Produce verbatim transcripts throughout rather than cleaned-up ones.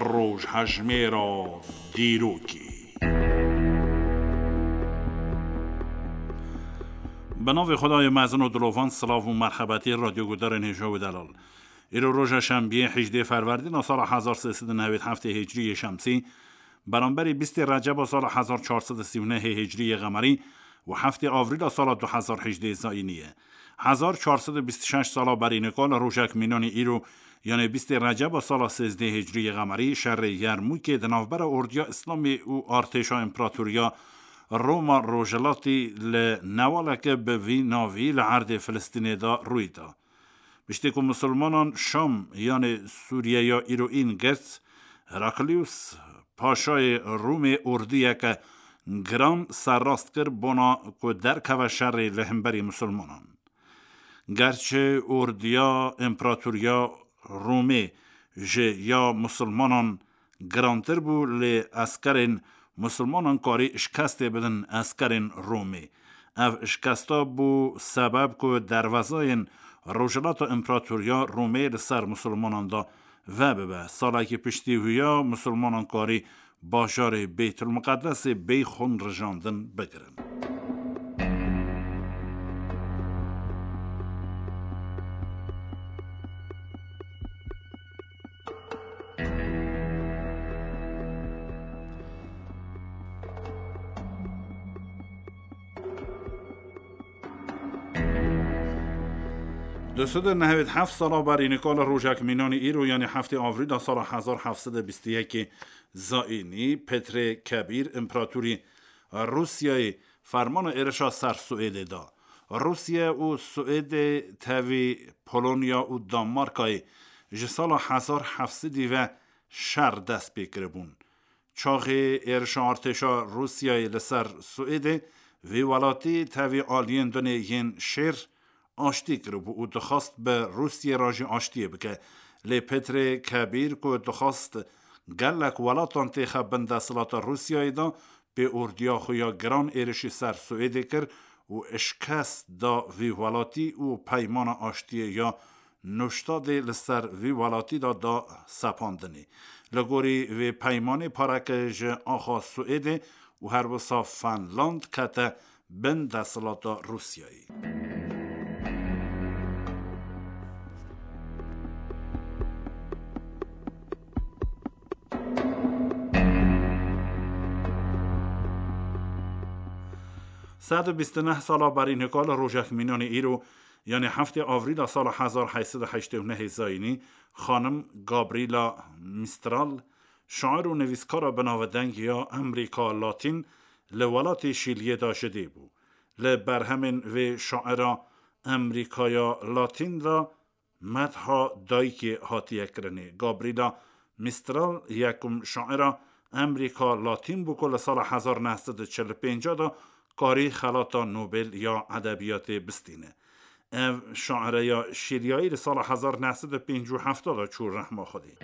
Rojhejmêra dîrokê. Bi navê Xwedayê mezin û dilovan, silav û merhebetî radyogudarên hêja û delal. Îro roja şembiyê, hejdê ferwerdîna sala hezar sê sed û newêd heftê hicriyê şemsî, beramberî bîstê receba sala hezar çar sed û sî û nehê hicriyê qemerî û heftê avrîla sala du hezar hejdê zayînî ye. Hezar çar sed û bîst û şeş sala berî nika li rojek mînanî îro, yanê bîstê receba sala sêzdê hicriyê qemerî, şerê Yermûkê di navbera ordiya Îslamê û artêşa împeratoriya Roma Rojhilatî li newaleke bi vî navî li erdê Filistînê de rûyî da. Piştî ku misilmanan Şam, yanê Sûriyeya îroîn girt, Heraklius Paşayê Rûmê ordiyeke giran serrast kir bona ku derkeve şerê li hemberî misilmanan. Gerçi ordiya împeratoriya Rûmê ji ya misilmanan girantir bû, lê eskerên misilmanan karî şikestê bidin eskerên Rûmê. Ev şikesta bû sebeb ku derwezayên rojhilata împeratoriya Rûmê li ser misilmanan de vebibe. Salekî piştî wî ya misilmanan karî bajarê Beytulmiqedesê bê xûn rijandin bigirin. Du sed û nehwêd heft sala berî nika li rojek mînanî îro, yanî heftê avrîla sala hezar heft sed û bîst û yekê zayînî, Petrê Kebîr, împeratorî Rûsyayê, fermana êrişa ser Swêdê da. Rûsya û Swêdê tevî Polonya û Danmarkayê ji sala hezar heft sedî ve şer dest pê kiribûn. Çaxê êrişa artêşa Rûsyayê li ser Swêdê, vê welatî tevî aliyên dunê yên şêr aştî kiribû û dixwast bi Rûsyê re jî aştiyê bike. Lê Petrê Kebîr ku dixwast gelek welatan têxe bin desthilata Rûsyayê de, pê ordiya xwe ya giran êrişî ser Swêdê kir û şikest da vî welatî û peymana aştiyê ya Nuştadê li ser vî welatî de da sepandinê. Li gorî vê peymanê pareke ji axa Swêdê û her wisa Fenland kete bin desthilata Rûsyayê. Sed û bîst û neh sala berî nika li rojek mînanê îro, yanî heftê avrîla sala hezar heyt sed û heştê û nehê zayînî, xanim Gabriela Mistral, şair û nivîskara binavdeng ya Emrîka Latîn, li welatê Şîliyê de ji dê bû. Li berhemên vê şaira Emrîkaya Latîn de medha dayikê hatiye kirinê. Gabriela Mistral yekum şaira Emrîka Latîn bû ku li sala hezar neh sed û çil û pênc de karî xelata Nobel ya edebiyatê bistîne. Ev şaire ya Şîliyayî li sala hezar neh sed û pêncî û heft de çû rehma Xwedê.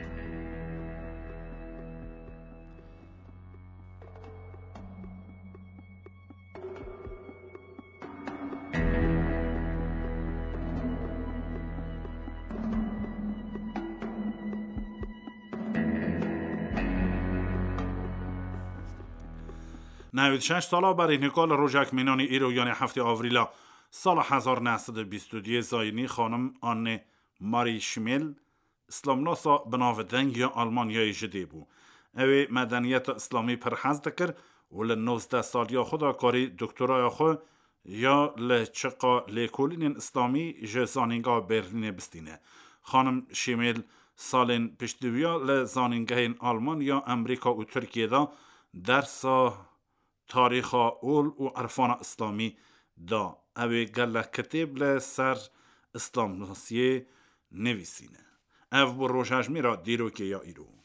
Newêd şeş sala berî nika li rojek mînanî îro, yanî heftê avrîla sala hezar neh sed û bîst û duyê zayînî, xanim Anne Marie Schmel, îslamnasa binavdeng ya Almanyayê ji dê bû. Ew ê medeniyeta îslamî pir hez dikir û li nozdeh saliya xwe de karî doktoraya xwe ya li çiqa lêkolînên îslamî ji Zanîngeha Berlînê bistîne. Xanim Şîmêl salên piştî wî ya li zanîngehên Almanya, Emrîka û Tirkiyê de dersa tarîxa ol û irfana îslamî da. Ew ê gelek kitêb li ser îslamnasiyê nivîsîne. Ev bû rojhejmêra dîrokê ya îro.